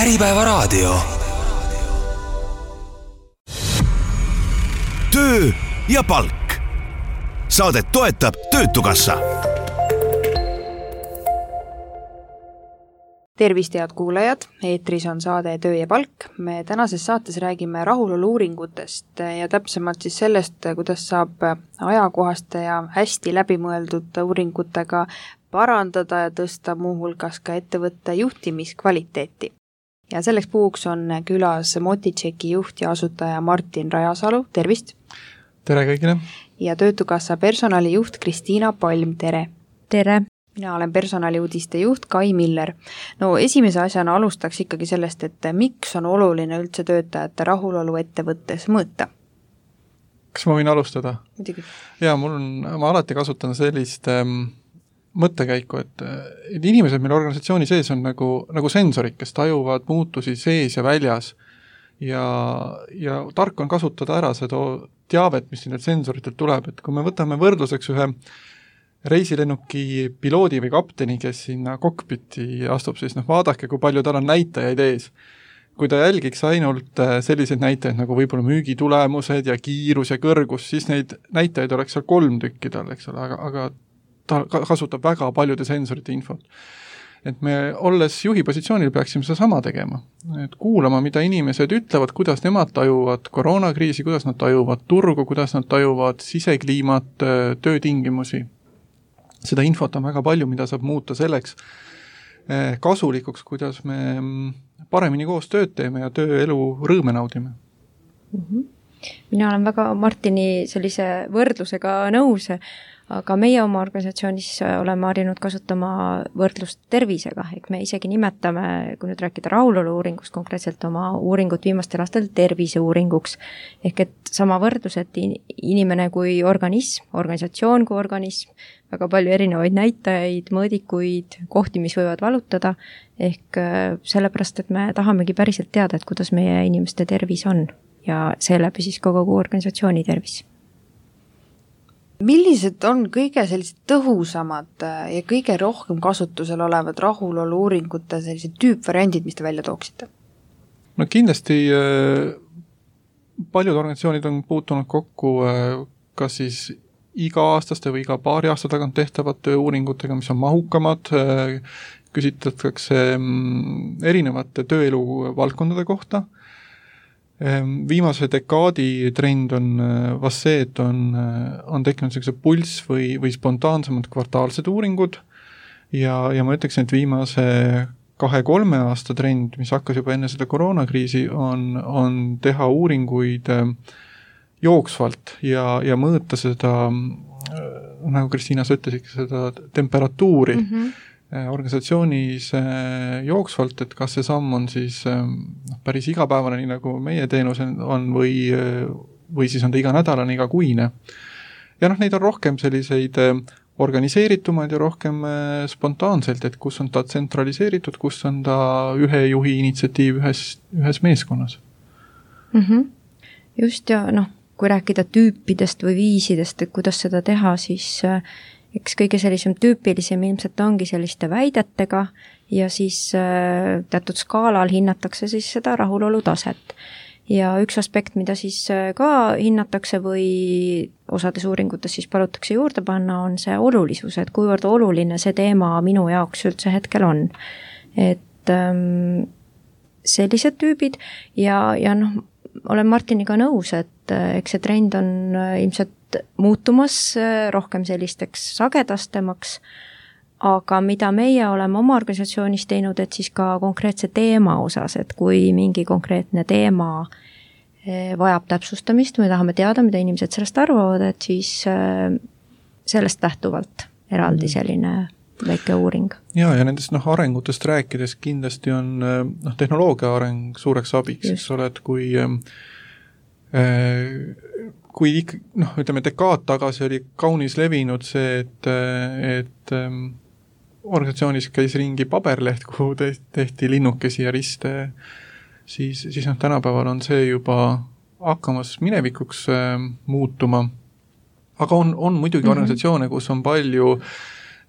Äripäevaraadio. Töö ja palk. Saadet toetab Töötukassa. Tervist, head kuulajad! Eetris on saade Töö ja palk. Me tänases saates räägime rahulolu-uuringutest ja täpsemalt siis sellest, kuidas saab ajakohaste ja hästi läbimõeldud uuringutega parandada ja tõsta muuhulgas ka ettevõtte juhtimiskvaliteeti. Ja selleks puhuks on külas Motitšeki juht ja asutaja Martin Rajasalu. Tervist! Tere kõigile! Ja Töötukassa personalijuht Kristiina Palm. Tere! Tere! Mina olen personaliuudiste juht Kai Miller. No esimese asjana alustaks ikkagi sellest, et miks on oluline üldse töötajate rahulolu ettevõttes mõõta? Kas ma võin alustada? Muidugi. Jaa, ma alati kasutan sellist mõttekäiku, et inimesed meil organisatsiooni sees on nagu sensorid, kes tajuvad muutusi sees ja väljas ja tark on kasutada ära seda teavet, mis nendelt sensoritelt tuleb, et kui me võtame võrdluseks ühe reisilennuki piloodi või kapteni, kes sinna kokpiti astub, siis vaadake, kui palju tal on näitajaid ees. Kui ta jälgiks ainult selliseid näitajaid nagu võib-olla müügitulemused ja kiirus ja kõrgus, siis neid näitajaid oleks seal 3 tükki tal, eks ole, aga ta kasutab väga paljude sensorite infot. Et me olles juhi positsioonil peaksime seda sama tegema. Et kuulama, mida inimesed ütlevad, kuidas nemad tajuvad koroonakriisi, kuidas nad tajuvad turgu, kuidas nad tajuvad sisekliimat, töötingimusi. Seda infot on väga palju, mida saab muuta selleks kasulikuks, kuidas me paremini koos tööd teeme ja tööelu rõõme naudime. Mina olen väga Martini sellise võrdlusega nõus, aga meie oma organisatsioonis oleme harjunud kasutama võrdlust tervisega, ehk me isegi nimetame, kui nüüd rääkida rahulolu-uuringust, konkreetselt oma uuringut viimastel aastal terviseuuringuks, ehk et sama võrdlus, et inimene kui organism, organisatsioon kui organism, väga palju erinevaid näitajaid, mõõdikuid, kohti, mis võivad valutada, ehk sellepärast, et me tahamegi päriselt teada, et kuidas meie inimeste tervis on ja seeläbi siis kogu organisatsiooni tervis. Millised on kõige sellised tõhusamad ja kõige rohkem kasutusel olevad rahulolu-uuringute sellised tüüpvariandid, mis te välja tooksite? No kindlasti paljud organisatsioonid on puutunud kokku kas siis iga-aastaste või iga paari aasta tagant tehtavad tööuuringutega, mis on mahukamad, küsitletakse erinevate tööelu valdkondade kohta. Viimase dekaadi trend on vast see, et on tekkinud sellised pulss või spontaansemad kvartaalsed uuringud ja ma ütleksin, et viimase 2-3 aasta trend, mis hakkas juba enne seda koroonakriisi, on teha uuringuid jooksvalt ja mõõta seda, nagu Kristiina sa ütlesid, seda temperatuuri organisatsioonis jooksvalt, et kas see samm on siis päris igapäevane, nii nagu meie teenus on või siis on ta iganädalane, igakuine. Ja neid on rohkem selliseid organiseeritumad ja rohkem spontaanselt, et kus on ta tsentraliseeritud, kus on ta ühe juhi initsiatiiv ühes meeskonnas. Just ja kui rääkida tüüpidest või viisidest, et kuidas seda teha, siis eks kõige sellisem tüüpilisem ilmselt ongi selliste väidetega ja siis teatud skaalal hinnatakse siis seda rahulolu taset. Ja üks aspekt, mida siis ka hinnatakse või osades uuringutes siis palutakse juurde panna, on see olulisus, et kuivõrd oluline see teema minu jaoks üldse hetkel on. Et sellised tüübid ja olen Martiniga nõus, et eks see trend on ilmselt muutumas rohkem sellisteks sagedastemaks, aga mida meie oleme oma organisatsioonis teinud, et siis ka konkreetse teema osas, et kui mingi konkreetne teema vajab täpsustamist, me tahame teada, mida inimesed sellest arvavad, et siis sellest lähtuvalt eraldi selline väike uuring. Ja nendest arengutest rääkides kindlasti on tehnoloogia areng suureks abiks, eks ole, et kui ütleme, dekaad tagasi oli kaunis levinud see, et organisatsioonis käis ringi paberleht, kuhu tehti linnukesi ja riste, siis tänapäeval on see juba hakkamas minevikuks muutuma. Aga on muidugi organisatsioone, kus on palju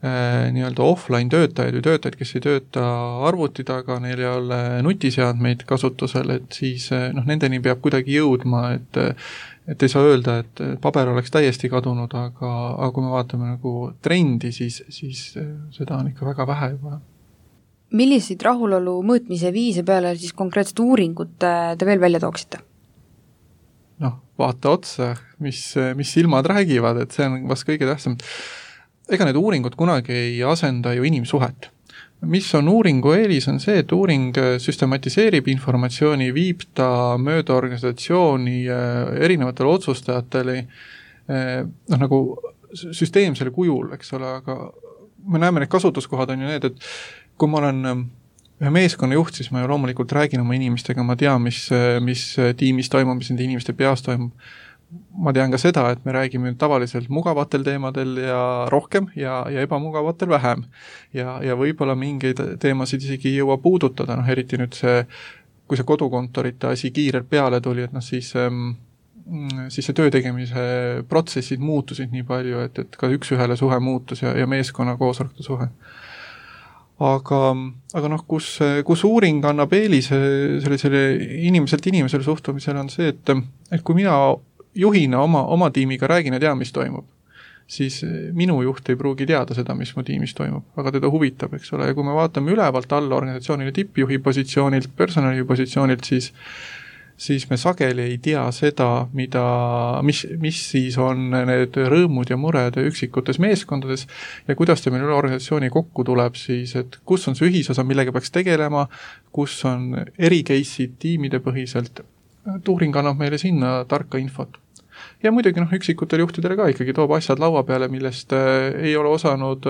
nii-öelda offline töötajaid või töötajaid, kes ei tööta arvuti taga, neil ei ole nutiseadmeid kasutusel, et siis nendeni peab kuidagi jõudma, et ei saa öelda, et paber oleks täiesti kadunud, aga kui me vaatame nagu trendi, siis seda on ikka väga vähe juba. Milliseid rahulolu mõõtmise viise peale siis konkreetset uuringut te veel välja tooksite? Vaata otsa, mis silmad räägivad, et see on vast kõige tähtsam. Ega need uuringud kunagi ei asenda ju inimsuhet. Mis on uuringu eelis, on see, et uuring süstematiseerib informatsiooni, viib ta mööda organisatsiooni erinevatele otsustajatele nagu süsteemsele kujul, eks ole, aga me näeme, need kasutuskohad on ju need, et kui ma olen ühe meeskonna juht, siis ma ju loomulikult räägin oma inimestega, ma tean, mis tiimis toimub, mis nende inimeste peas toimub. Ma tean ka seda, et me räägime tavaliselt mugavatel teemadel ja rohkem ja ebamugavatel vähem. Ja võib-olla mingeid teemasid isegi ei jõua puudutada, eriti nüüd kui see kodukontorite asi kiirelt peale tuli, et siis see töö tegemise protsessid muutusid nii palju, et ka üks-ühele suhe muutus ja meeskonna koosolekute suhe. Aga kus uuring annab eelise sellisele inimeselt inimesele suhtumisele on see, et kui mina juhina oma tiimiga räägin ja tean, mis toimub, siis minu juht ei pruugi teada seda, mis mu tiimis toimub, aga teda huvitab, eks ole, ja kui me vaatame ülevalt alla organisatsioonile tippjuhi positsioonilt, personali positsioonilt, siis me sageli ei tea seda, mis siis on need rõõmud ja mured üksikutes meeskondades ja kuidas ta meil üle organisatsiooni kokku tuleb siis, et kus on see ühisosa, millega peaks tegelema, kus on ericase'id tiimide põhiselt. Uuring annab meile sinna tarka infot. Ja muidugi üksikutel juhtidele ka ikkagi toob asjad laua peale, millest ei ole osanud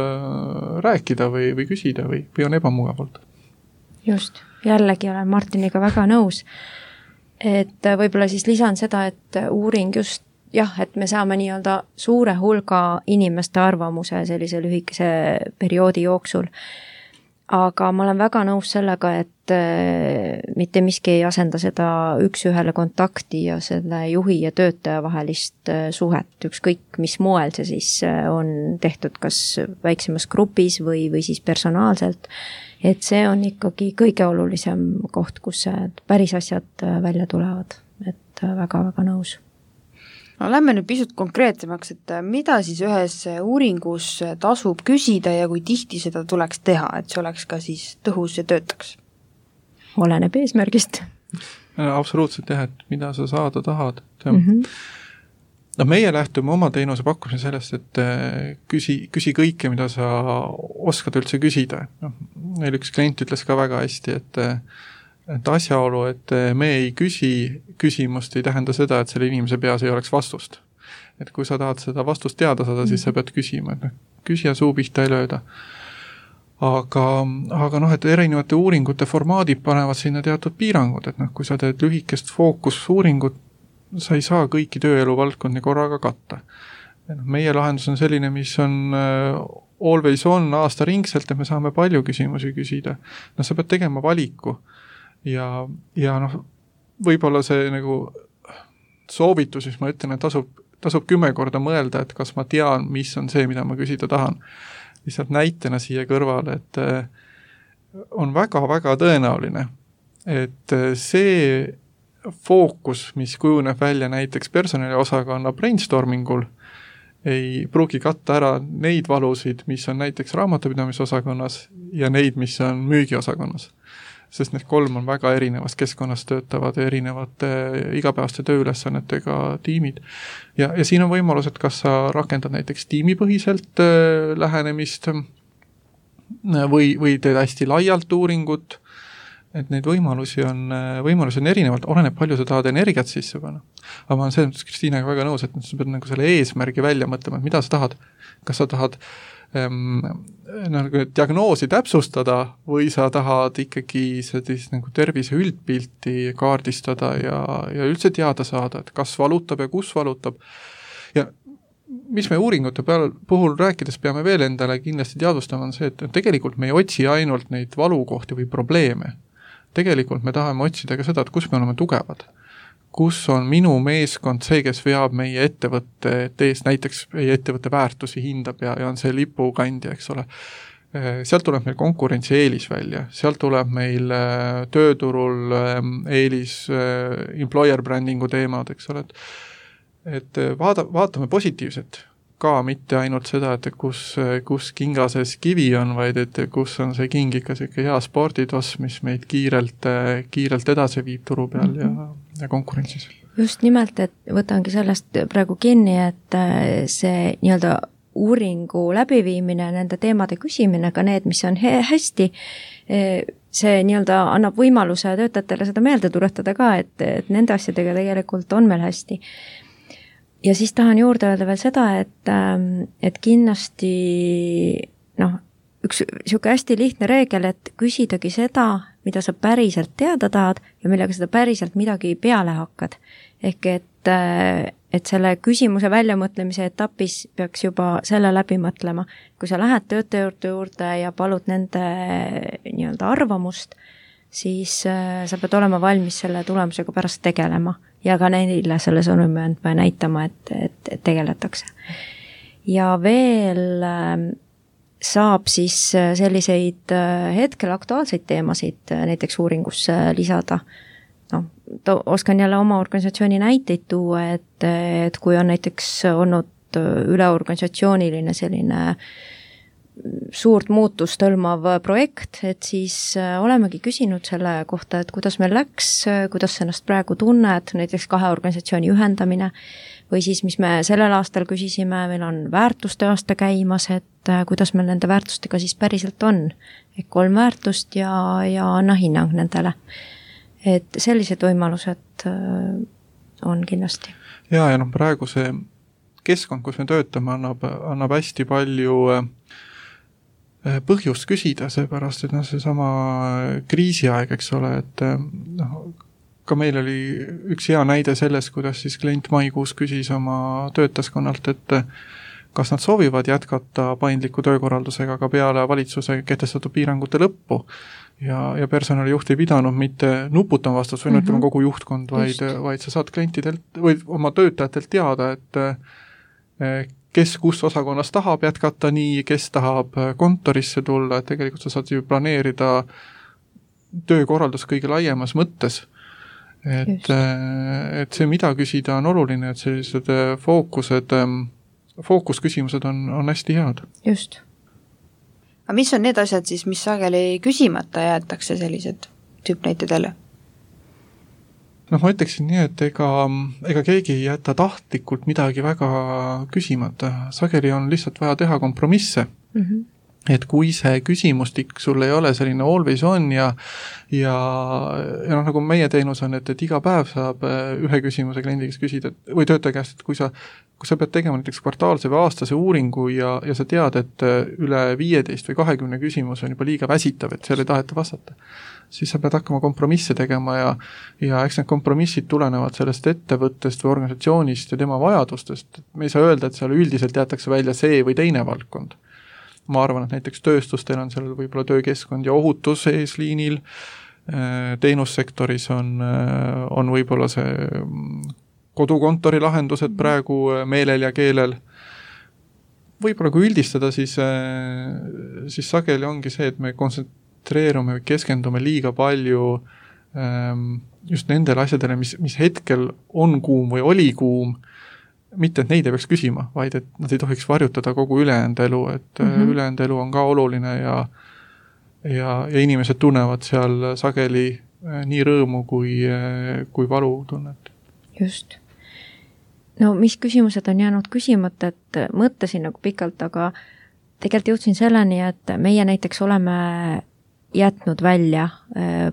rääkida või küsida või on ebamugavalt. Just, jällegi olen Martiniga väga nõus. Et võib-olla siis lisan seda, et uuring just, et me saame nii-öelda suure hulga inimeste arvamuse sellise lühikese perioodi jooksul. Aga ma olen väga nõus sellega, et mitte miski ei asenda seda üks-ühele kontakti ja selle juhi ja töötaja vahelist suhet, ükskõik mis moel see siis on tehtud, kas väiksemas grupis või siis personaalselt, et see on ikkagi kõige olulisem koht, kus päris asjad välja tulevad, et väga-väga nõus. No, lähme nüüd pisut konkreetsemaks, et mida siis ühes uuringus tasub küsida ja kui tihti seda tuleks teha, et see oleks ka siis tõhus ja töötaks? Oleneb eesmärgist. Absoluutselt jah, et mida sa saada tahad. Meie lähtume oma teenuse pakkumise sellest, et küsi kõike, mida sa oskad üldse küsida. Meil üks klient ütles ka väga hästi, et asjaolu, et me ei küsimust ei tähenda seda, et selle inimese peas ei oleks vastust. Et kui sa tahad seda vastust teada saada, siis sa pead küsima, et küsija suu pihta ei lööda. Aga et erinevate uuringute formaadid panevad sinna teatud piirangud, et kui sa teed lühikest fookusuuringut, sa ei saa kõiki tööelu valdkondi korraga katta. Meie lahendus on selline, mis on always on aastaringselt, et me saame palju küsimusi küsida. Sa pead tegema valiku. Ja võib-olla see nagu soovitus, mis ma ütlen, et tasub 10 korda mõelda, et kas ma tean, mis on see, mida ma küsida tahan. Lihtsalt näitena siia kõrvale, et on väga-väga tõenäoline, et see fookus, mis kujuneb välja näiteks personaliosakonna brainstormingul, ei pruugi katta ära neid valusid, mis on näiteks raamatupidamisosakonnas ja neid, mis on müügiosakonnas. Sest need 3 on väga erinevas keskkonnas töötavad erinevate igapäevaste tööülesannetega tiimid. Ja siin on võimalus, et kas sa rakendad näiteks tiimipõhiselt lähenemist või teed hästi laialt uuringut, et neid võimalusi on erinevalt, oleneb palju sa tahad energiat sisse panna. Aga ma olen selles mõttes Kristiinaga väga nõus, et sa pead nagu selle eesmärgi välja mõtlema, et mida sa tahad. Kas sa tahad diagnoosi täpsustada või sa tahad ikkagi sellist nagu tervise üldpilti kaardistada ja üldse teada saada, et kas valutab ja kus valutab. Ja mis me uuringute puhul rääkides peame veel endale kindlasti teadvustama on see, et tegelikult me ei otsi ainult neid valukohti või probleeme. Tegelikult me tahame otsida ka seda, et kus me oleme tugevad. kus on minu meeskond see, kes veab meie ettevõtte ees, näiteks meie ettevõtte väärtusi hindab ja on see lipukandja, eks ole. Sealt tuleb meil konkurentsieelis välja, sealt tuleb meil tööturul eelis employer brandingu teemad, eks ole, et vaatame positiivset ka, mitte ainult seda, et kus kingases kivi on, vaid et kus on see king ikka selline hea sporditoss, mis meid kiirelt edasi viib turu peal ja konkurentsis. Just nimelt, et võtangi sellest praegu kinni, et see nii-öelda uuringu läbiviimine, nende teemade küsimine, ka need, mis on hästi, see nii-öelda annab võimaluse töötajatele seda meelde tuletada ka, et nende asjadega tegelikult on meil hästi. Ja siis tahan juurde öelda veel seda, et kindlasti üks siuke hästi lihtne reegel, et küsidagi seda, mida sa päriselt teada tahad ja millega seda päriselt midagi peale hakkad. Ehk et selle küsimuse väljamõtlemise etapis peaks juba selle läbi mõtlema. Kui sa lähed töötajate juurde ja palud nende nii-öelda arvamust, siis sa pead olema valmis selle tulemusega pärast tegelema ja ka neile selle sõnumi andma ja näitama, et tegeletakse. Ja veel saab siis selliseid hetkel aktuaalseid teemasid näiteks uuringusse lisada. Oskan jälle oma organisatsiooni näiteid tuua, et kui on näiteks olnud üleorganisatsiooniline selline suurt muutust hõlmav projekt, et siis olemegi küsinud selle kohta, et kuidas meil läks, kuidas sa ennast praegu tunned, näiteks 2 organisatsiooni ühendamine, või siis, mis me sellel aastal küsisime, meil on väärtuste aasta käimas, et kuidas meil nende väärtustega siis päriselt on. Et 3 väärtust ja anna hinnang nendele. Et sellised võimalused on kindlasti. Ja praegu see keskkond, kus me töötame, annab hästi palju põhjust küsida, seepärast, et seesama kriisiaeg, eks ole, et ka meil oli üks hea näide selles, kuidas siis klient maikuus küsis oma töötaskonnalt, et kas nad soovivad jätkata paindliku töökorraldusega ka peale valitsuse kehtestatud piirangute lõppu. Ja personalijuht ei pidanud mitte nuputama vastus või ütlema kogu juhtkond, vaid sa saad klientidelt või oma töötajatelt teada, et kes kus osakonnas tahab jätkata nii, kes tahab kontorisse tulla, et tegelikult sa saad ju planeerida töökorraldus kõige laiemas mõttes. Et see, mida küsida, on oluline, et sellised fookusküsimused on hästi head. Just. Aga mis on need asjad siis, mis sageli küsimata jäetakse sellised tüüpnäitedele? Ma ütleksin nii, et ega keegi ei jäta tahtlikult midagi väga küsimata. Sageli on lihtsalt vaja teha kompromisse. Et kui see küsimustik sul ei ole selline always on ja nagu meie teenus on, et iga päev saab ühe küsimuse kliendi käest küsida või töötaja käest, et kui sa pead tegema näiteks kvartaalse või aastase uuringu ja sa tead, et üle 15 või 20 küsimus on juba liiga väsitav, et seal ei taheta vastata, siis sa pead hakkama kompromisse tegema ja eks need kompromissid tulenevad sellest ettevõttest või organisatsioonist ja tema vajadustest. Me ei saa öelda, et seal üldiselt jäetakse välja see või teine valdkond. Ma arvan, et näiteks tööstustel on seal võib-olla töökeskkond ja ohutus eesliinil, teenussektoris on võib-olla see kodukontori lahendused praegu meelel ja keelel. Võib-olla kui üldistada, siis sageli ongi see, et me kontsentreerume või keskendume liiga palju just nendele asjadele, mis hetkel on kuum või oli kuum, mitte, et neid ei peaks küsima, vaid et nad ei tohiks varjutada kogu ülejäänud elu, et ülejäänud elu on ka oluline ja inimesed tunnevad seal sageli nii rõõmu kui valu tunnet. Just. No mis küsimused on jäänud küsimata, et mõtlesin nagu pikalt, aga tegelikult jõudsin selleni, et meie näiteks oleme jätnud välja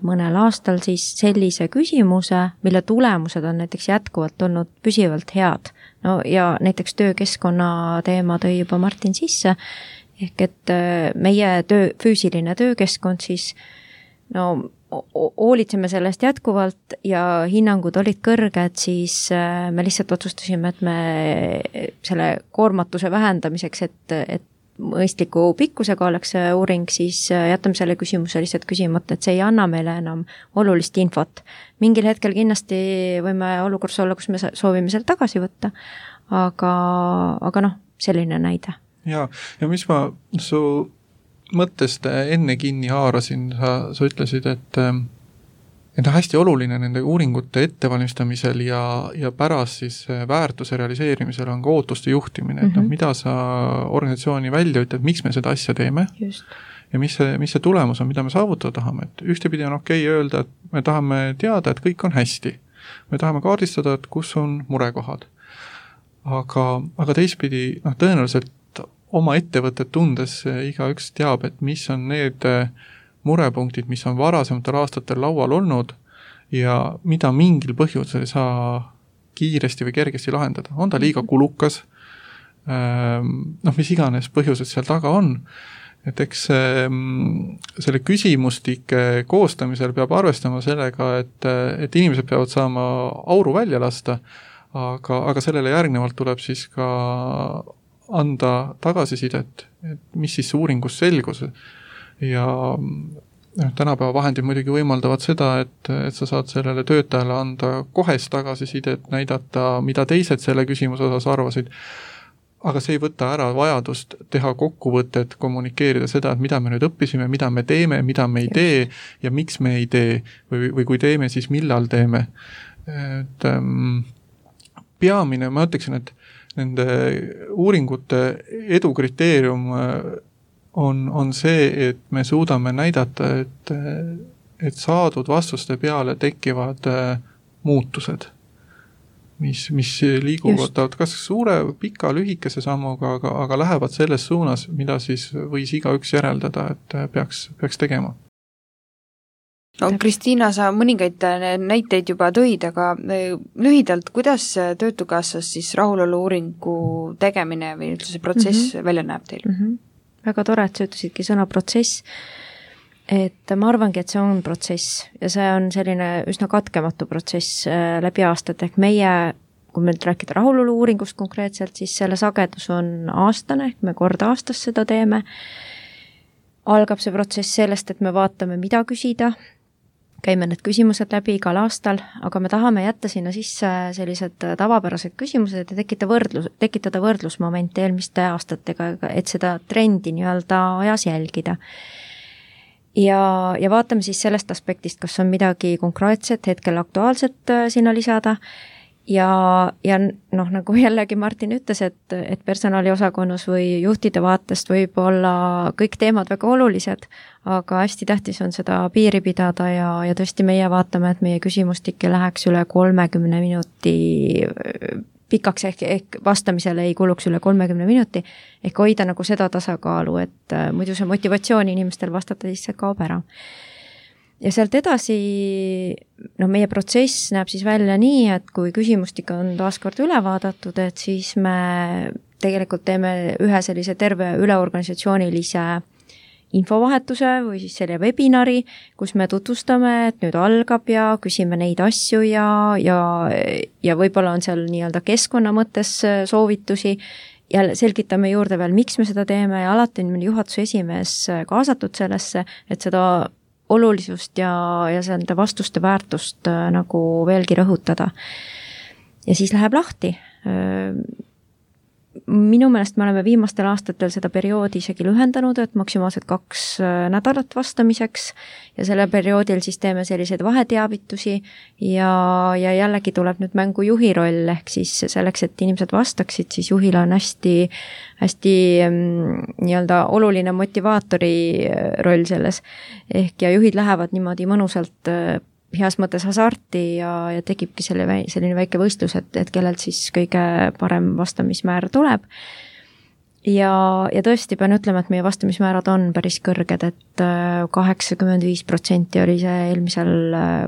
mõnel aastal siis sellise küsimuse, mille tulemused on näiteks jätkuvalt olnud püsivalt head. No ja näiteks töökeskkonna teema tõi juba Martin sisse, ehk et meie füüsiline töökeskkond siis hoolitseme sellest jätkuvalt ja hinnangud olid kõrged, siis me lihtsalt otsustasime, et me selle koormatuse vähendamiseks, et mõistliku pikkusega oleks see uuring, siis jätame selle küsimuse lihtsalt küsimata, et see ei anna meile enam olulist infot. Mingil hetkel kindlasti võime olukorras olla, kus me soovime selle tagasi võtta, aga selline näide. Ja mis ma su mõttest enne kinni haarasin, sa ütlesid, et hästi oluline nende uuringute ettevalmistamisel ja pärast siis väärtuse realiseerimisel on ka ootuste juhtimine, et mida sa organisatsiooni välja ütled, miks me seda asja teeme. Just. Ja mis see tulemus on, mida me saavutada tahame, et ühtepidi on okei öelda, et me tahame teada, et kõik on hästi. Me tahame kaardistada, et kus on murekohad. Aga teistpidi, tõenäoliselt oma ettevõtet tundes igaüks teab, et mis on need murepunktid, mis on varasematel aastatel laual olnud ja mida mingil põhjusel ei saa kiiresti või kergesti lahendada. On ta liiga kulukas, mis iganes põhjused seal taga on. Et eks selle küsimustike koostamisel peab arvestama sellega, et inimesed peavad saama auru välja lasta, aga sellele järgnevalt tuleb siis ka anda tagasisidet, et mis siis uuringus selgus. Ja tänapäeva vahendid muidugi võimaldavad seda, et sa saad sellele töötajale anda kohest tagasisidet, näidata, mida teised selle küsimuse osas arvasid, aga see ei võta ära vajadust teha kokkuvõtet, kommunikeerida seda, et mida me nüüd õppisime, mida me teeme, mida me ei tee ja miks me ei tee või kui teeme, siis millal teeme. Et peamine, ma ütleksin, et nende uuringute edu kriteerium on see, et me suudame näidata, et saadud vastuste peale tekivad muutused, mis liiguvad kas suure, pika, lühikese sammuga, aga lähevad selles suunas, mida siis võis igaüks järeldada, et peaks tegema. No, Kristiina, sa mõningaid näiteid juba tõid, aga lühidalt, kuidas Töötukassas siis rahulolu uuringu tegemine või üldse see protsess välja näeb teil? Väga tore, et sa ütlesidki sõna protsess, et ma arvangi, et see on protsess ja see on selline üsna katkematu protsess läbi aastat, ehk meie, kui me rääkida rahulolu uuringust konkreetselt, siis selle sagedus on aastane, ehk me kord aastas seda teeme. Algab see protsess sellest, et me vaatame, mida küsida, käime need küsimused läbi igal aastal, aga me tahame jätta sinna sisse sellised tavapärased küsimused ja tekitada võrdlusmomente eelmiste aastatega, et seda trendi nii-öelda ajas jälgida. Ja vaatame siis sellest aspektist, kas on midagi konkreetset, hetkel aktuaalset sinna lisada ja nagu jällegi Martin ütles, et personaliosakonnas või juhtide vaatest võib olla kõik teemad väga olulised, aga hästi tähtis on seda piiri pidada ja tõesti meie vaatame, et meie küsimustik ei läheks üle 30 minuti pikaks ehk vastamisele ei kuluks üle 30 minuti, ehk hoida nagu seda tasakaalu, et muidu see motivatsioon inimestel vastata lihtsalt kaob ära. Ja sealt edasi, meie protsess näeb siis välja nii, et kui küsimustik on taaskord üle vaadatud, et siis me tegelikult teeme ühe sellise terve üleorganisatsioonilise infovahetuse või siis selle webinari, kus me tutvustame, et nüüd algab ja küsime neid asju ja võib-olla on seal nii-öelda keskkonna mõttes soovitusi ja selgitame juurde veel, miks me seda teeme ja alati on juhatuse esimees kaasatud sellesse, et seda olulisust ja selle vastuste väärtust nagu veelgi rõhutada. Ja siis läheb lahti. Minu meelest me oleme viimastel aastatel seda perioodi isegi lühendanud, et maksimaalselt 2 nädalat vastamiseks ja selle perioodil siis teeme selliseid vaheteavitusi ja jällegi tuleb nüüd mängu juhi roll, ehk siis selleks, et inimesed vastaksid, siis juhil on hästi nii-öelda oluline motivaatori roll selles. Ehk ja juhid lähevad niimoodi mõnusalt heas mõttes hasarti ja tekibki selline väike võistlus, et kellelt siis kõige parem vastamismäär tuleb. Ja tõesti pean ütlema, et meie vastamismäärad on päris kõrged, et 85% oli see eelmisel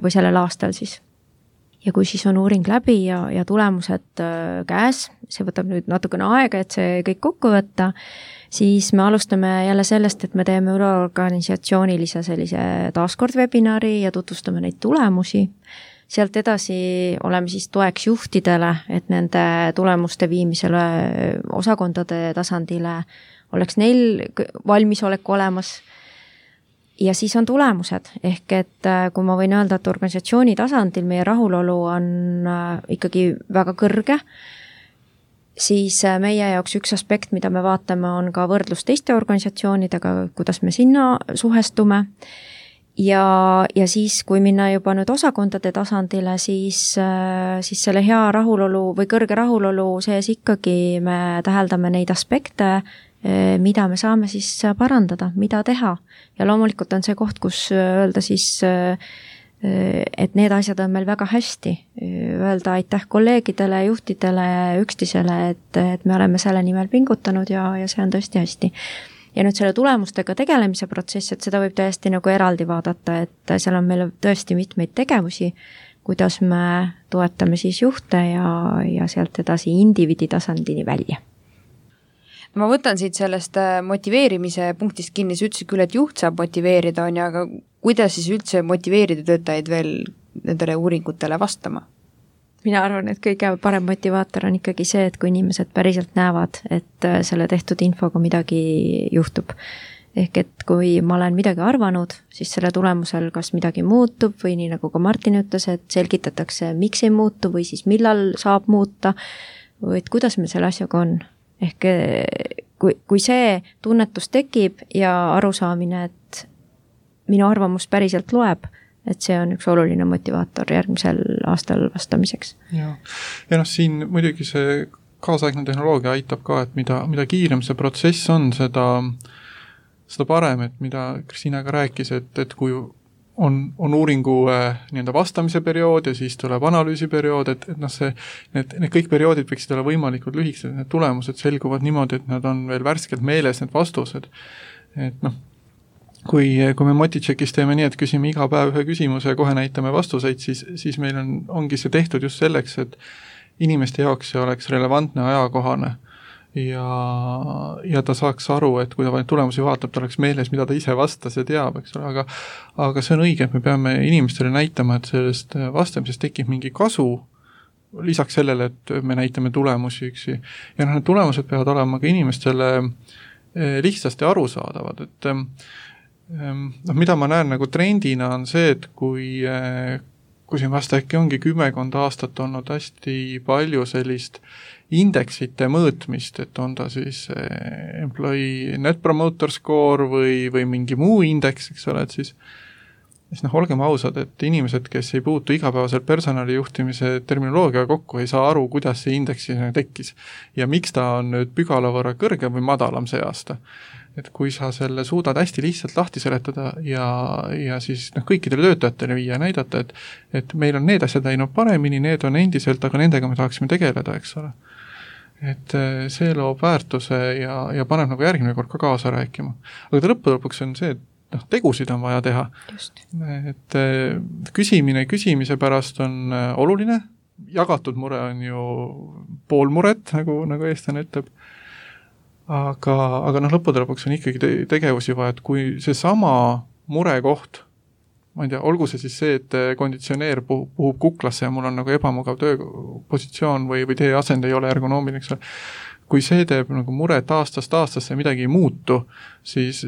või sellel aastal siis. Ja kui siis on uuring läbi ja tulemused käes, see võtab nüüd natukene aega, et see kõik kokku võtta, siis me alustame jälle sellest, et me teeme üleorganisatsioonilise sellise taaskord webinari ja tutvustame neid tulemusi. Sealt edasi oleme siis toeks juhtidele, et nende tulemuste viimisele osakondade tasandile oleks neil valmisolek olemas. Ja siis on tulemused, ehk et kui ma võin öelda, et organisatsiooni tasandil meie rahulolu on ikkagi väga kõrge, siis meie jaoks üks aspekt, mida me vaatame, on ka võrdlus teiste organisatsioonidega, kuidas me sinna suhestume. Ja siis, kui minna juba nüüd osakondade tasandile, siis selle hea rahulolu või kõrge rahulolu sees ikkagi me täheldame neid aspekte, mida me saame siis parandada, mida teha. Ja loomulikult on see koht, kus öelda siis, et need asjad on meil väga hästi. Öelda aitäh kolleegidele, juhtidele, üksteisele, et me oleme selle nimel pingutanud ja see on tõesti hästi. Ja nüüd selle tulemustega tegelemise protsess, et seda võib täiesti nagu eraldi vaadata, et seal on meil tõesti mitmeid tegevusi, kuidas me toetame siis juhte ja sealt edasi indiviidi tasandini välja. Ma võtan siit sellest motiveerimise punktist kinni, sa ütlesid küll, et juht saab motiveerida, on ja, aga kuidas siis üldse motiveerida töötajaid veel nendele uuringutele vastama? Mina arvan, et kõige parem motivaator on ikkagi see, et kui inimesed päriselt näevad, et selle tehtud infoga midagi juhtub. Ehk et kui ma olen midagi arvanud, siis selle tulemusel kas midagi muutub või nii nagu ka Martin ütles, et selgitatakse, miks ei muutu või siis millal saab muuta või et kuidas me selle asjaga on. Ehk kui see tunnetus tekib ja arusaamine, et minu arvamus päriselt loeb, et see on üks oluline motivaator järgmisel aastal vastamiseks. Ja siin muidugi see kaasaegne tehnoloogia aitab ka, et mida kiirem see protsess on, seda parem, et mida Kristiina ka rääkis, et kui on uuringu nii-öelda vastamise periood ja siis tuleb analüüsiperiood, et need kõik perioodid võiksid olla võimalikult lühikesed, need tulemused selguvad niimoodi, et nad on veel värskelt meeles, need vastused. Et kui me Motitšekis teeme nii, et küsime iga päev ühe küsimuse ja kohe näitame vastuseid, siis meil ongi see tehtud just selleks, et inimeste jaoks see oleks relevantne ajakohane. Ja ta saaks aru, et kui ta tulemusi vaatab, ta oleks meeles, mida ta ise vastas ja teab, eks ole, aga see on õige, et me peame inimestele näitama, et sellest vastamisest tekib mingi kasu, lisaks sellele, et me näitame tulemusi üksi. Ja need tulemused peavad olema ka inimestele lihtsasti arusaadavad, et mida ma näen nagu trendina on see, et kui siin vasta äkki ongi 10 aastat olnud hästi palju sellist indeksite mõõtmist, et on ta siis employee net promoter score või mingi muu indeks, eks ole, et siis olgem ausad, et inimesed, kes ei puutu igapäevaselt personalijuhtimise terminoloogia kokku, ei saa aru, kuidas see indeksi tekkis ja miks ta on nüüd pügala võrra kõrgem või madalam see aasta. Et kui sa selle suudad hästi lihtsalt lahti seletada ja siis kõikidele töötajatele viia ja näidata, et meil on need asjad läinud paremini, need on endiselt, aga nendega me tahaksime tegeleda, eks ole. Et see loob väärtuse ja paneb nagu järgmine kord ka kaasa rääkima. Aga lõpuks on see, et tegusid on vaja teha. Just. Et küsimise pärast on oluline, jagatud mure on ju pool muret, nagu eestlane ütleb. Aga lõppude lõpuks on ikkagi tegevusi vaja, et kui see sama murekoht, ma ei tea, olgu see siis see, et konditsioneer puhub kuklasse ja mul on nagu ebamugav tööpositsioon või teie asend ei ole ergonoomiline, eks ole. Kui see teeb nagu muret aastast aastasse midagi ei muutu, siis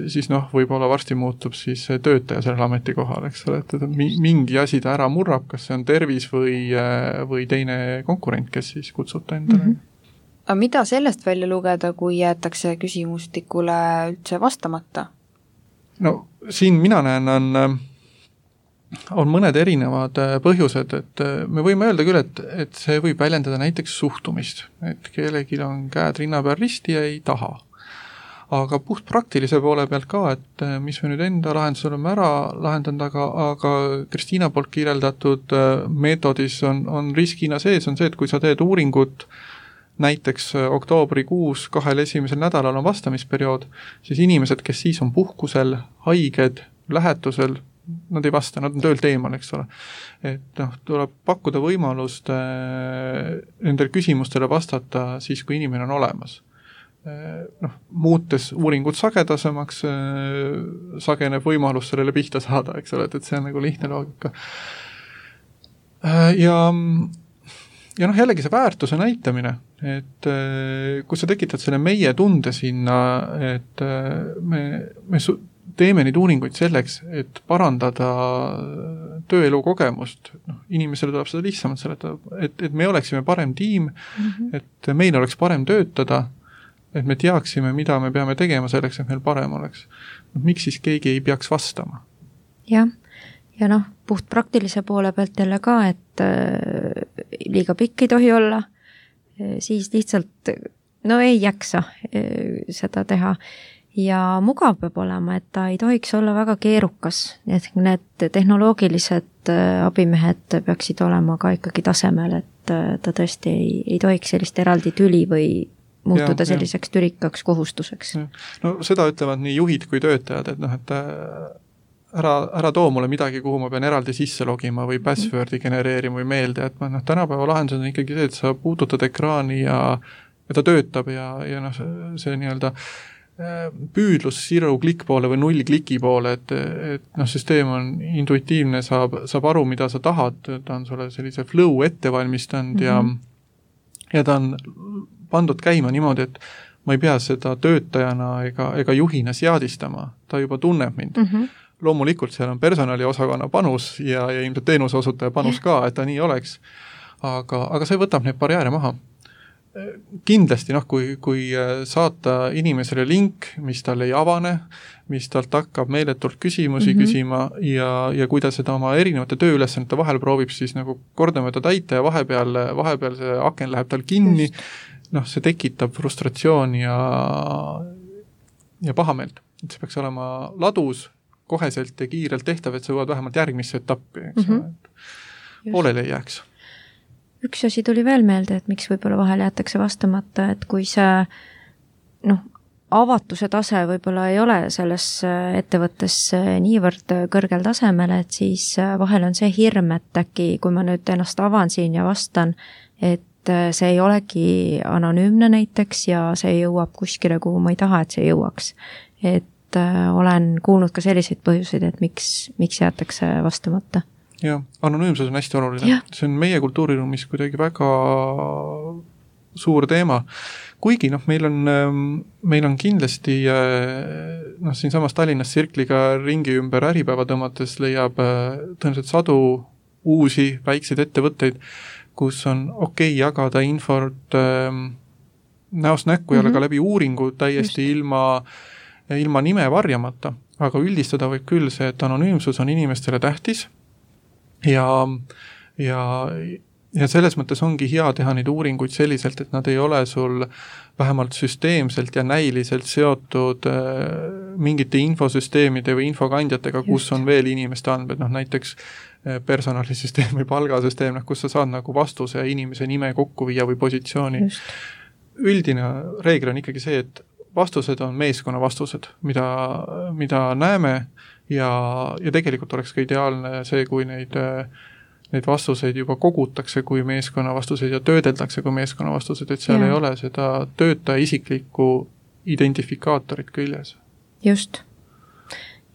võib-olla varsti muutub siis töötaja sellel ametikohal, eks ole, et mingi asi ta ära murrab, kas see on tervis või teine konkurent, kes siis kutsuta endale. Aga mida sellest välja lugeda, kui jäetakse küsimustikule üldse vastamata? No siin mina näen, on mõned erinevad põhjused, et me võime öelda küll, et see võib väljendada näiteks suhtumist, et kellelgi on käed rinna peal risti ja ei taha. Aga puht praktilise poole pealt ka, et mis me nüüd enda lahendus oleme ära lahendanud, aga Kristiina poolt kirjeldatud meetodis on riskina sees, on see, et kui sa teed uuringut näiteks oktoobrikuus 2 esimesel nädalal on vastamisperiood, siis inimesed, kes siis on puhkusel, haiged, lähetusel, nad ei vasta, nad on töölt eemal, eks ole. Et tuleb pakkuda võimalust nendel küsimustele vastata siis, kui inimene on olemas. Muutes uuringud sagedasemaks, sageneb võimalus sellele pihta saada, eks ole, et see on nagu lihtne loogika. ja jällegi see väärtuse näitamine, et kui sa tekitad selle meie tunde sinna, et me teeme neid uuringuid selleks, et parandada tööelu kogemust, inimesele tuleb seda lihtsamalt seletada, et me oleksime parem tiim, et meil oleks parem töötada, et me teaksime, mida me peame tegema selleks, et meil parem oleks. Miks siis keegi ei peaks vastama? Jah, ja puht praktilise poole pealt jälle ka, et liiga pikk ei tohi olla, siis lihtsalt ei jaksa seda teha. Ja mugav peab olema, et ta ei tohiks olla väga keerukas, et need tehnoloogilised abimehed peaksid olema ka ikkagi tasemel, et ta tõesti ei tohiks sellist eraldi tüli või muutuda selliseks türikaks kohustuseks. No seda ütlevad nii juhid kui töötajad, et ära too mulle midagi, kuhu ma pean eraldi sisse logima või passwordi genereerima või meelde, et tänapäeva lahendus on ikkagi see, et sa puudutad ekraani ja ta töötab ja see nii-öelda püüdlus zero klikk poole või 0 kliki poole, et süsteem on intuitiivne, saab aru, mida sa tahad, ta on sulle sellise flow ette valmistanud ja ta on pandud käima niimoodi, et ma ei pea seda töötajana ega juhina seadistama, ta juba tunneb mind. Loomulikult seal on personaliosakonna panus ja ilmselt teenuse osutaja panus ka, et ta nii oleks, aga see võtab neid barjääre maha. Kindlasti, kui saata inimesele link, mis tal ei avane, mis talt hakkab meeletult küsimusi küsima ja kui ta seda oma erinevate tööülesannete vahel proovib siis kordamööda täita ja vahepeal see aken läheb tal kinni, see tekitab frustratsiooni ja pahameelt. Et see peaks olema ladus, koheselt ja kiirelt tehtav, et sa jõuad vähemalt järgmisse etappi, poolele ei jääks. Üks asi tuli veel meelde, et miks võib-olla vahel jäetakse vastamata, et kui see avatuse tase võib-olla ei ole selles ettevõttes niivõrd kõrgel tasemel, et siis vahel on see hirm, et äkki kui ma nüüd ennast avan siin ja vastan, et see ei olegi anonüümne näiteks ja see jõuab kuskile, kuhu ma ei taha, et see jõuaks. Et olen kuulnud ka selliseid põhjuseid, et miks jäetakse vastamata. Jah, anonüümsus on hästi oluline. Ja. See on meie kultuuriruumis kuidagi väga suur teema. Kuigi meil on kindlasti siin samas Tallinnas Sirkliga ringi ümber äripäeva tõmmates leiab tõenäoliselt sadu uusi väikseid ettevõtteid, kus on okei jagada infort näost näkku ja ka läbi uuringu täiesti ilma nime varjamata. Aga üldistada võib küll see, et anonüümsus on inimestele tähtis ja selles mõttes ongi hea teha neid uuringuid selliselt, et nad ei ole sul vähemalt süsteemselt ja näiliselt seotud mingite infosüsteemide või infokandjatega, kus on veel inimeste andmed, näiteks personalisüsteem või palgasüsteem, kus sa saad vastuse ja inimese nime kokku viia või positsiooni. Üldine reegel on ikkagi see, et vastused on meeskonna vastused, mida näeme ja tegelikult oleks ka ideaalne see, kui neid vastuseid juba kogutakse kui meeskonna vastuseid ja töödeldakse kui meeskonna vastused, et seal ei ole seda töötaja isiklikku identifikaatorit küljes. Just.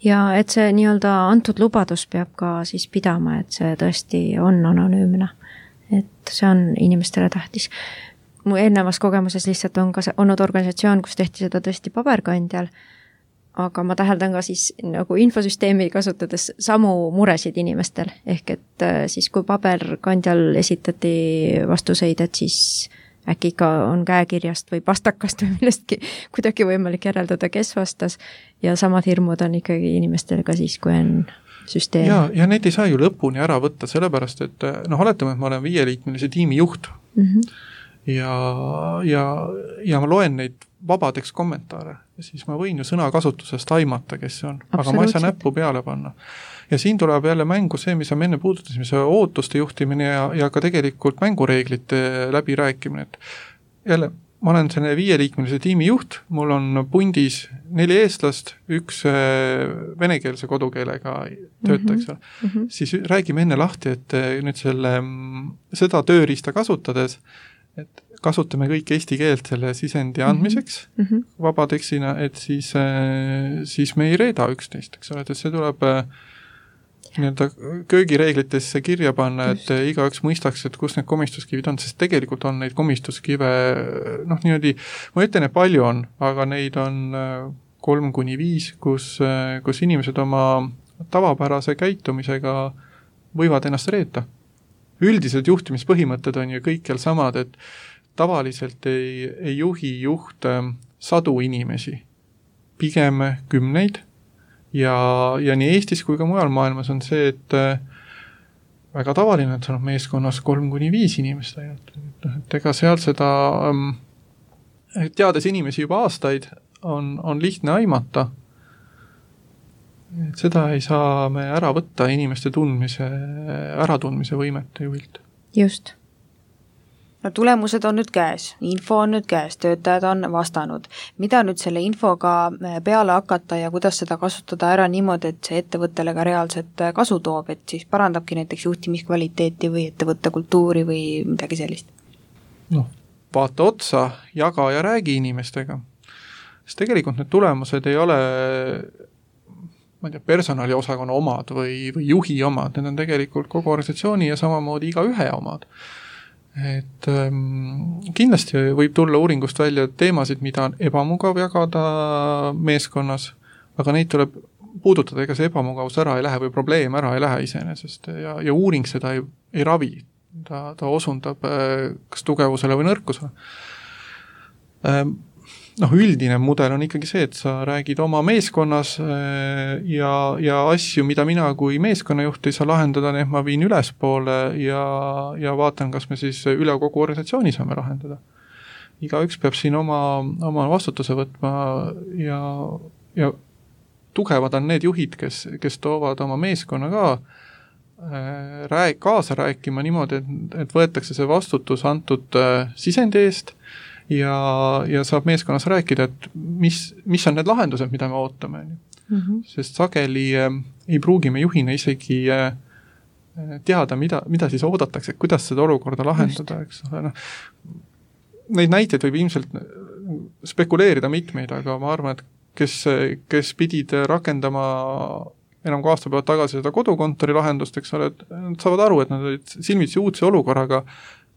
Ja et see nii-öelda antud lubadus peab ka siis pidama, et see tõesti on anonüümne. Et see on inimestele tähtis. Mu eelnevas kogemuses lihtsalt on ka olnud organisatsioon, kus tehti seda tõesti paberkandjal, aga ma täheldan ka siis infosüsteemi kasutades samu muresid inimestel, ehk et siis kui paberkandjal esitati vastuseid, et siis äkki ikka on käekirjast või pastakast või millestki kuidagi võimalik järeldada, kes vastas ja samad hirmud on ikkagi inimestel ka siis, kui on süsteem. Ja neid ei saa ju lõpuni ära võtta, sellepärast, et oletame, et ma olen 5-liikmelise tiimi juht ja ma loen neid vabadeks kommentaare ja siis ma võin ju sõnakasutusest aimata, kes see on, aga ma ei saa näppu peale panna. Ja siin tuleb jälle mängu see, mis me enne puudutasime, see ootuste juhtimine ja ka tegelikult mängureeglite läbirääkimine, et jälle ma olen selle 5-liikmelise tiimi juht, mul on pundis 4 eestlast, 1 venekeelse kodukeelega töötaja, siis räägime enne lahti, et nüüd seda tööriista kasutades, et kasutame kõik eesti keelt selle sisendi andmiseks vabatekstina, et siis me ei reeda üksteist, eks ole, et see tuleb nii-öelda köögireeglitesse kirja panna, et igaüks mõistaks, et kus need komistuskivid on, sest tegelikult on neid komistuskive, niimoodi, ma ütlen, et palju on, aga neid on 3-5, kus inimesed oma tavapärase käitumisega võivad ennast reeta. Üldised juhtimispõhimõtted on ju kõikjal samad, et tavaliselt ei juhi juht sadu inimesi, pigem 10. Ja nii Eestis kui ka mujal maailmas on see, et väga tavaline, et on meeskonnas 3-5 inimest ainult. Et ega seal seda, teades inimesi juba aastaid, on lihtne aimata. Et seda ei saa me ära võtta inimeste äratundmise võimete juhilt. Just. No tulemused on nüüd käes, info on nüüd käes, töötajad on vastanud. Mida nüüd selle infoga peale hakata ja kuidas seda kasutada ära niimoodi, et see ettevõttele ka reaalselt kasu toob, et siis parandabki näiteks juhtimiskvaliteeti või ettevõtte kultuuri või midagi sellist? Vaata otsa, jaga ja räägi inimestega. Sest tegelikult need tulemused ei ole personaliosakonna omad või juhi omad, need on tegelikult kogu organisatsiooni ja samamoodi iga ühe omad. Et kindlasti võib tulla uuringust välja teemasid, mida on ebamugav jagada meeskonnas, aga neid tuleb puudutada, ega see ebamugavus ära ei lähe või probleem ära ei lähe iseenesest ja uuring seda ei ravi, ta osundab kas tugevusele või nõrkusele. Üldine mudel on ikkagi see, et sa räägid oma meeskonnas ja asju, mida mina kui meeskonnajuht ei saa lahendada, need ma viin ülespoole ja vaatan, kas me siis üle kogu organisatsiooni saame lahendada. Igaüks peab siin oma vastutuse võtma ja tugevad on need juhid, kes toovad oma meeskonna ka kaasa rääkima niimoodi, et võetakse see vastutus antud sisendi eest ja saab meeskonnas rääkida, et mis on need lahendused, mida me ootame. Sest sageli ei pruugi me juhina isegi teada, mida siis oodatakse, kuidas seda olukorda lahendada. Eks ole. Neid näiteid võib ilmselt spekuleerida mitmeid, aga ma arvan, et kes pidid rakendama enam kui aasta pealt tagasi seda kodukontori lahendust, eks ole, et nad saavad aru, et nad olid silmitsi uudse olukorraga,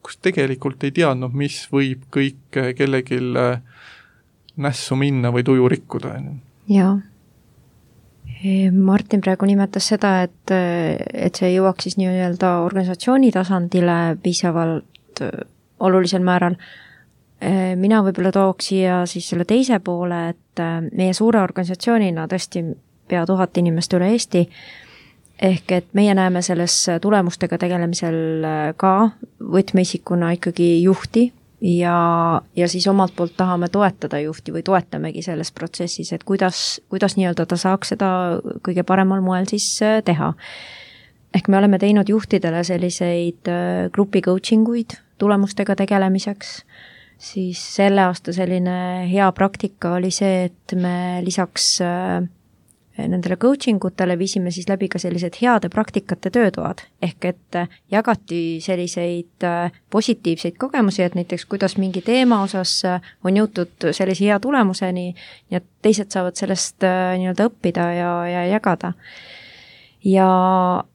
kus tegelikult ei teadnud, mis võib kõik kellegil nässu minna või tuju rikkuda. Jaa. Martin praegu nimetas seda, et see jõuaks siis nii-öelda organisatsiooni tasandile piisavalt olulisel määral. Mina võib-olla tooks siia siis selle teise poole, et meie suure organisatsioonina tõesti pea 1000 inimest üle Eesti, ehk et meie näeme selles tulemustega tegelemisel ka võtmeisikuna ikkagi juhti ja siis omalt poolt tahame toetada juhti või toetamegi selles protsessis, et kuidas nii-öelda ta saaks seda kõige paremal moel siis teha. Ehk me oleme teinud juhtidele selliseid grupi coachinguid tulemustega tegelemiseks, siis selle aasta selline hea praktika oli see, et me lisaks nendele coaching utele viisime siis läbi ka sellised heade praktikate töötoad, ehk et jagati selliseid positiivseid kogemusi, et näiteks kuidas mingi teema osas on jõutud sellise hea tulemuseni ja teised saavad sellest nii-öelda õppida ja jagada. Ja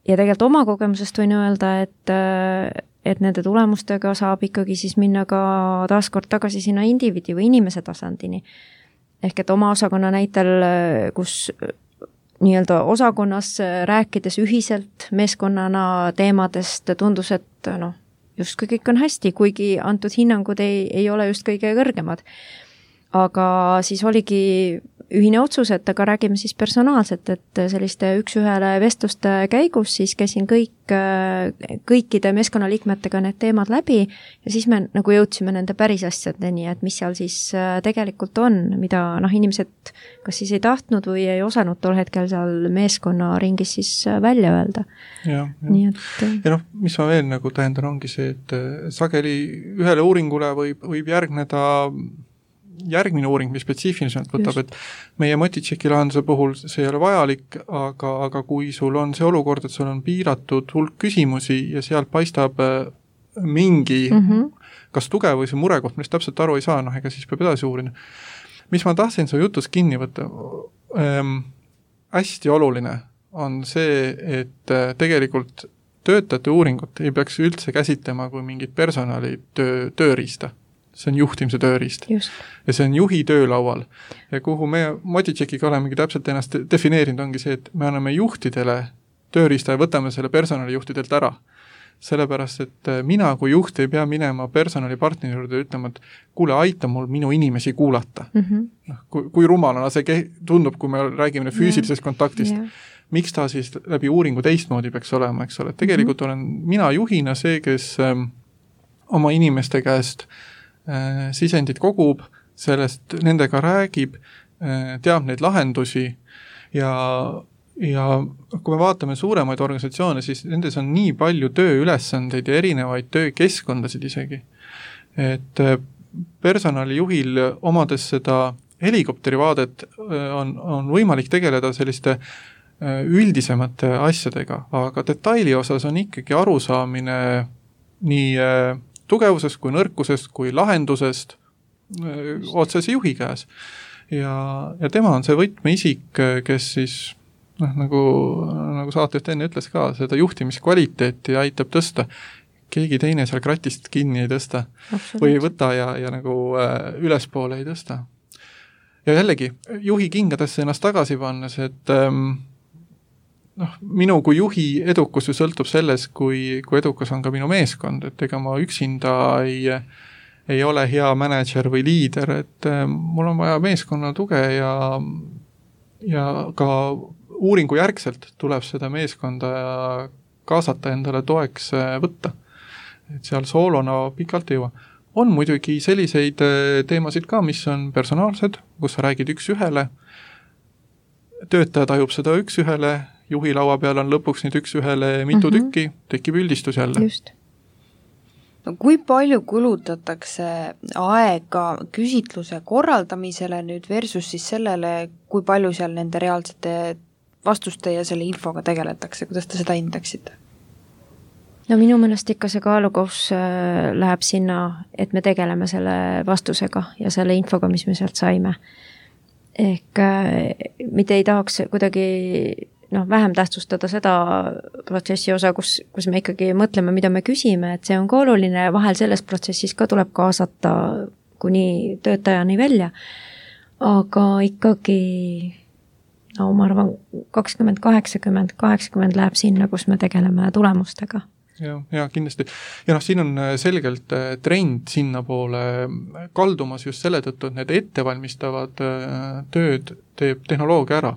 tegelikult oma kogemusest võin öelda, et nende tulemustega saab ikkagi siis minna ka taaskord tagasi sinna indiviidi või inimese tasandini. Ehk et oma osakonna näitel, kus nii-öelda osakonnas rääkides ühiselt meeskonnana teemadest tundus, et justkui kõik on hästi, kuigi antud hinnangud ei ole just kõige kõrgemad. Aga siis oligi ühine otsus, et aga räägime siis personaalselt, et selliste üks-ühele vestluste käigus siis käisin kõikide meeskonnaliikmetega need teemad läbi ja siis me nagu jõudsime nende päris asjadeni, et mis seal siis tegelikult on, mida inimesed kas siis ei tahtnud või ei osanud tol hetkel seal meeskonna ringis siis välja öelda. Ja mis ma veel nagu tähendan, ongi see, et sageli ühele uuringule võib järgmine uuring, mis spetsiifiliselt võtab, et meie Motitšeki lahenduse puhul see ei ole vajalik, aga kui sul on see olukord, et sul on piiratud hulk küsimusi ja sealt paistab mingi kas tugev või see murekoht, millest täpselt aru ei saa, ega siis peab edasi uurida. Mis ma tahtsin su jutus kinni võtta, hästi oluline on see, et tegelikult töötajate uuringut ei peaks üldse käsitlema kui mingit personali tööriista. See on juhtimise tööriist. Just. Ja see on juhi töölaual. Ja kuhu me Motitšekiga olemegi täpselt ennast defineerinud, ongi see, et me anname juhtidele tööriista ja võtame selle personalijuhtidelt ära. Sellepärast, et mina kui juht ei pea minema personalipartneri juurde ütlema, et kuule, aita mul minu inimesi kuulata. Kui rumalana see tundub, kui me räägime füüsilisest kontaktist. Miks ta siis läbi uuringu teistmoodi peaks olema, eks ole. Tegelikult olen mina juhina see, kes oma inimeste käest sisendit kogub, sellest nendega räägib, teab neid lahendusi ja kui me vaatame suuremaid organisatsioone, siis nendes on nii palju tööülesandeid ja erinevaid töökeskkondasid isegi. Et personalijuhil omades seda helikopterivaadet on võimalik tegeleda selliste üldisemate asjadega, aga detaili osas on ikkagi arusaamine nii tugevusest kui nõrkusest kui lahendusest otsese juhi käes. Ja tema on see võtmeisik, kes siis nagu saatejuht enne ütles ka, seda juhtimiskvaliteeti aitab tõsta. Keegi teine seal kratist kinni ei tõsta. Või ei võta ja nagu ülespoole ei tõsta. Ja jällegi, juhi kingadesse ennast tagasi pannes, et minu kui juhi edukus ju sõltub selles, kui edukas on ka minu meeskond, et ega ma üksinda ei ole hea manager või liider, et mul on vaja meeskonna tuge ja ka uuringu järgselt tuleb seda meeskonda kaasata endale toeks võtta. Et seal soolona pikalt ei jõua. On muidugi selliseid teemasid ka, mis on personaalsed, kus sa räägid üks ühele, töötaja tajub seda üks ühele, juhi laua peal on lõpuks nüüd üks ühele mitu tükki, tekib üldistus jälle. Just. No, kui palju kulutatakse aega küsitluse korraldamisele nüüd versus siis sellele, kui palju seal nende reaalsete vastuste ja selle infoga tegeletakse, kuidas te seda hindaksite? No minu meelest ikka see kaalukohus läheb sinna, et me tegeleme selle vastusega ja selle infoga, mis me sealt saime. Ehk mitte ei tahaks kuidagi vähem tähtsustada seda protsessi osa, kus me ikkagi mõtleme, mida me küsime, et see on ka oluline ja vahel selles protsessis ka tuleb kaasata kuni töötajani välja. Aga ikkagi, ma arvan, 20-80 läheb sinna, kus me tegeleme tulemustega. Ja kindlasti. Ja siin on selgelt trend sinna poole kaldumas just selle tõttu, et need ettevalmistavad tööd teeb tehnoloogia ära.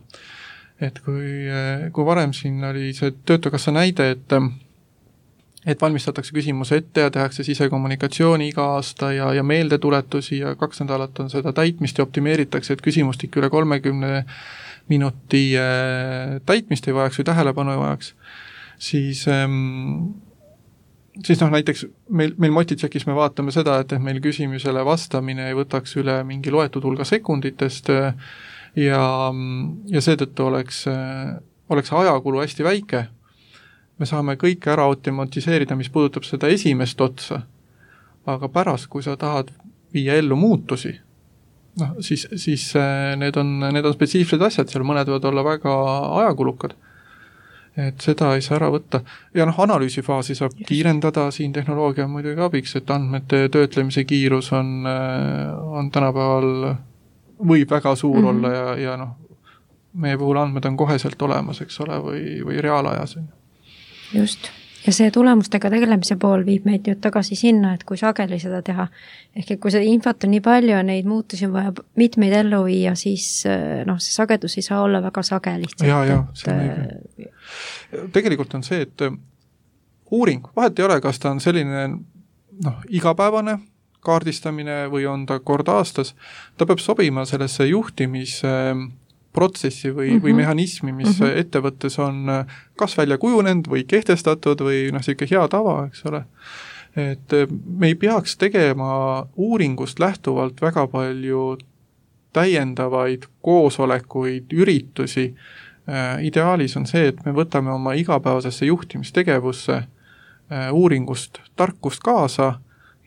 Et kui varem siin oli see Töötukassa näide, et valmistatakse küsimuse ette ja tehakse sisekommunikatsiooni iga aasta ja meeldetuletusi ja 2 nädalat on seda täitmist ja optimeeritakse, et küsimustik üle 30 minuti täitmist ei vajaks või tähelepanu ei vajaks, siis näiteks meil Motitšekis me vaatame seda, et meil küsimusele vastamine ei võtaks üle mingi loetud hulga sekunditest ja seetõttu oleks ajakulu hästi väike. Me saame kõike ära automatiseerida, mis puudutab seda esimest otsa, aga pärast, kui sa tahad viia ellu muutusi, siis need on spetsiifilised asjad, seal mõned võivad olla väga ajakulukad. Et seda ei saa ära võtta. Ja analüüsifaasi saab kiirendada, siin tehnoloogia on muidugi abiks, et andmete töötlemise kiirus on tänapäeval võib väga suur olla ja meie puhul andmed on koheselt olemas, eks ole, või reaalajas. Just. Ja see tulemustega tegelemise pool viib meid nüüd tagasi sinna, et kui sageli seda teha. Ehk kui seda infot on nii palju ja neid muutusi on vaja mitmeid ellu viia, siis see sagedus ei saa olla väga sage lihtsalt. Ja, tegelikult on see, et uuring, vahet ei ole, kas ta on selline igapäevane kaardistamine või on ta kord aastas, ta peab sobima sellesse juhtimisprotsessi või mehhanismi, mis ettevõttes on kas välja kujunenud või kehtestatud või selline hea tava, eks ole. Et me ei peaks tegema uuringust lähtuvalt väga palju täiendavaid koosolekuid, üritusi. Ideaalis on see, et me võtame oma igapäevasesse juhtimistegevusse uuringust tarkust kaasa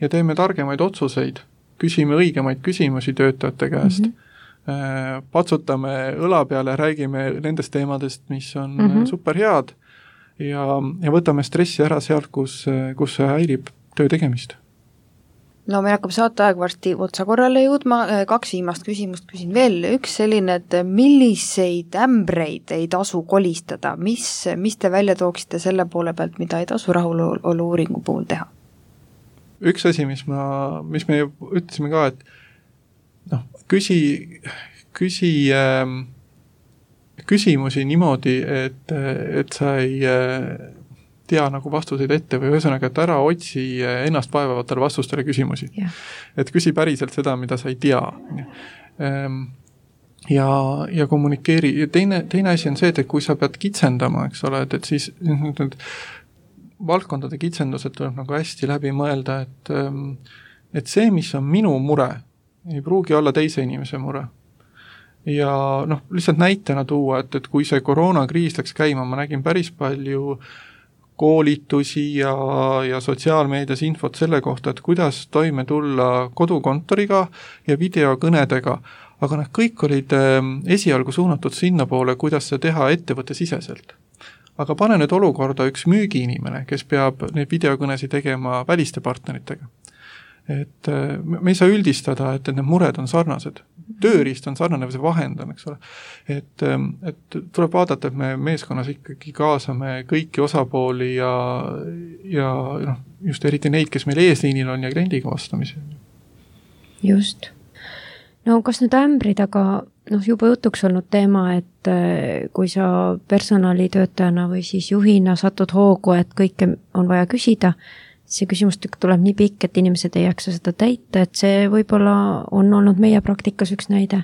ja teeme targemaid otsuseid, küsime õigemaid küsimusi töötajate käest patsutame õla peale, räägime nendest teemadest, mis on super head ja võtame stressi ära sealt, kus see häirib töö tegemist. No meil hakkab saateaeg varsti otsa korrale jõudma, 2 viimast küsimust küsin veel, üks selline, et milliseid ämbreid ei tasu kolistada, mis te välja tooksite selle poole pealt, mida ei tasu rahulolu uuringu puhul teha? Üks asi, mis me ütlesime ka, et küsimusi niimoodi, et sa ei tea nagu vastuseid ette või ühesõnaga, et ära otsi ennast vaevavatele vastustele küsimusi. Yeah. Et küsi päriselt seda, mida sa ei tea. Ja kommunikeeri. Ja teine asi on see, et kui sa pead kitsendama, eks ole, et siis valdkondade kitsendused tuleb nagu hästi läbi mõelda, et see, mis on minu mure, ei pruugi olla teise inimese mure. Ja lihtsalt näitena tuua, et kui see koroonakriis läks käima, ma nägin päris palju koolitusi ja sotsiaalmeedias infot selle kohta, et kuidas toime tulla kodukontoriga ja videokõnedega, aga nad kõik olid esialgu suunatud sinna poole, kuidas seda teha ettevõttesiseselt. Aga pane nüüd olukorda üks müügiinimene, kes peab neid videokõnesid tegema väliste partneritega. Et me ei saa üldistada, et need mured on sarnased. Tööriist on sarnane või see vahend on, eks ole. Et tuleb vaadata, et me meeskonnas ikkagi kaasame kõiki osapooli ja just eriti neid, kes meil eesliinil on ja kliendiga vastamisi. Just. No kas nüüd ämbrid, aga juba jutuks olnud teema, et kui sa personalitöötajana või siis juhina satud hoogu, et kõike on vaja küsida, see küsimustükk tuleb nii pikk, et inimesed ei jaksa seda täita, et see võib-olla on olnud meie praktikas üks näide.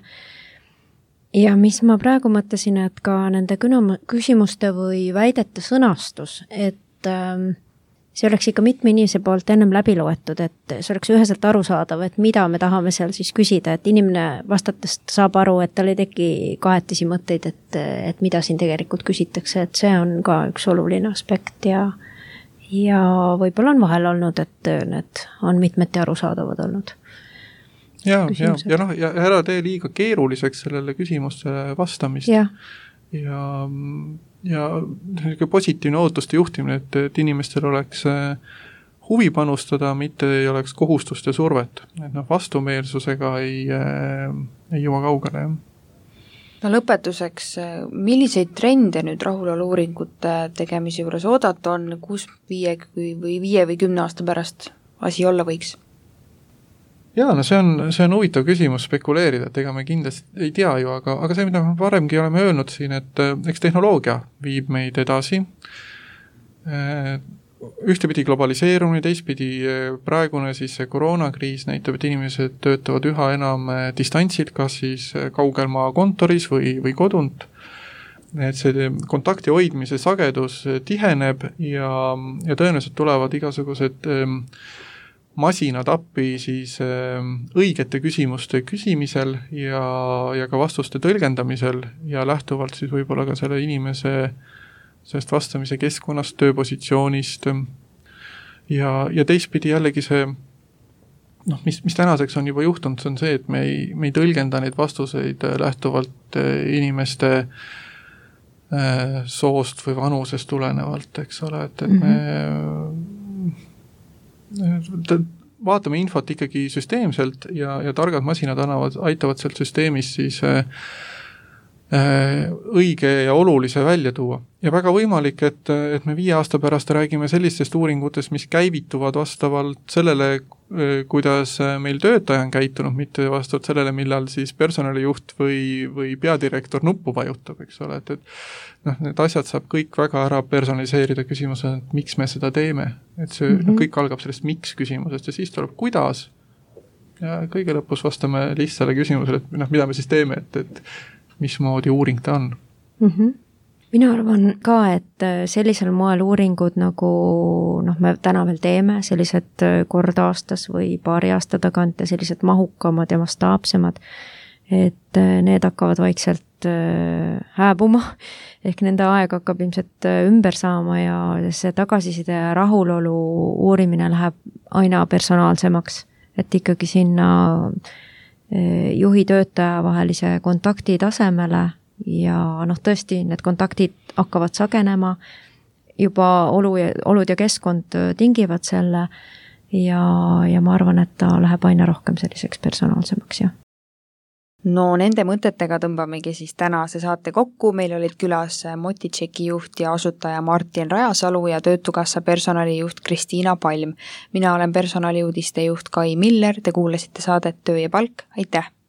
Ja mis ma praegu mõtlesin, et ka nende küsimuste või väidete sõnastus, et see oleks ikka mitme inimese poolt ennem läbi loetud, et see oleks üheselt arusaadav, et mida me tahame seal siis küsida, et inimene vastatest saab aru, et tal ei teki kahetisi mõtteid, et mida siin tegelikult küsitakse, et see on ka üks oluline aspekt ja võib-olla on vahel olnud, et need on mitmeti arusaadavad olnud. Ja ära tee liiga keeruliseks sellele küsimustele vastamist. Ja positiivne ootuste juhtimine, et inimestel oleks huvi panustada, mitte ei oleks kohustust ja survet. Et vastumeelsusega ei jõua kaugele, jah. No lõpetuseks, milliseid trende nüüd rahulolu uuringute tegemise juures oodata on, kus 5 või 10 aasta pärast asi olla võiks? Jaa, see on huvitav küsimus spekuleerida, et ega me kindlasti ei tea ju, aga see, mida me varemgi oleme öelnud siin, et eks tehnoloogia viib meid edasi, ühtepidi globaliseerumine, teistpidi praegune siis see koroonakriis näitab, et inimesed töötavad üha enam distantsilt, kas siis kaugelmaa kontoris või kodunt. Et see kontakti hoidmise sagedus tiheneb ja tõenäoliselt tulevad igasugused masinad appi siis õigete küsimuste küsimisel ja ka vastuste tõlgendamisel ja lähtuvalt siis võib-olla ka selle inimese sellest vastamise keskkonnast, tööpositsioonist ja teistpidi jällegi see, mis tänaseks on juba juhtunud, see on see, et me ei tõlgenda neid vastuseid lähtuvalt inimeste soost või vanusest tulenevalt, eks ole, et me vaatame infot ikkagi süsteemselt ja targad masinad aitavad sealt süsteemis siis õige ja olulise välja tuua. Ja väga võimalik, et me 5 aasta pärast räägime sellistest uuringutest, mis käivituvad vastavalt sellele, kuidas meil töötaja on käitunud, mitte vastavalt sellele, millal siis personalijuht või peadirektor nuppu vajutab, eks ole, et need asjad saab kõik väga ära personaliseerida küsimuse, et miks me seda teeme, et see kõik algab sellest miks küsimusest ja siis tuleb kuidas ja kõige lõpus vastame lihtsale küsimusele, et mida me siis teeme, et mismoodi uuring ta on. Mina arvan ka, et sellisel moel uuringud nagu me täna veel teeme, sellised kord aastas või paari aasta tagant ja sellised mahukamad ja mastaapsemad, et need hakkavad vaikselt hääbuma, ehk nende aeg hakkab ilmselt ümber saama ja see tagasiside ja rahulolu uurimine läheb aina personaalsemaks, et ikkagi sinna juhi-töötaja vahelise kontakti tasemele ja tõesti, need kontaktid hakkavad sagenema, juba olud ja keskkond tingivad selle ja ma arvan, et ta läheb aina rohkem selliseks personaalsemaks, jah. No nende mõtetega tõmbamegi siis tänase saate kokku, meil olid külas Motitšeki juht ja asutaja Martin Rajasalu ja Töötukassa personalijuht Kristiina Palm. Mina olen personaliuudiste juht Kai Miller, te kuulasite saadet Töö ja palk, aitäh!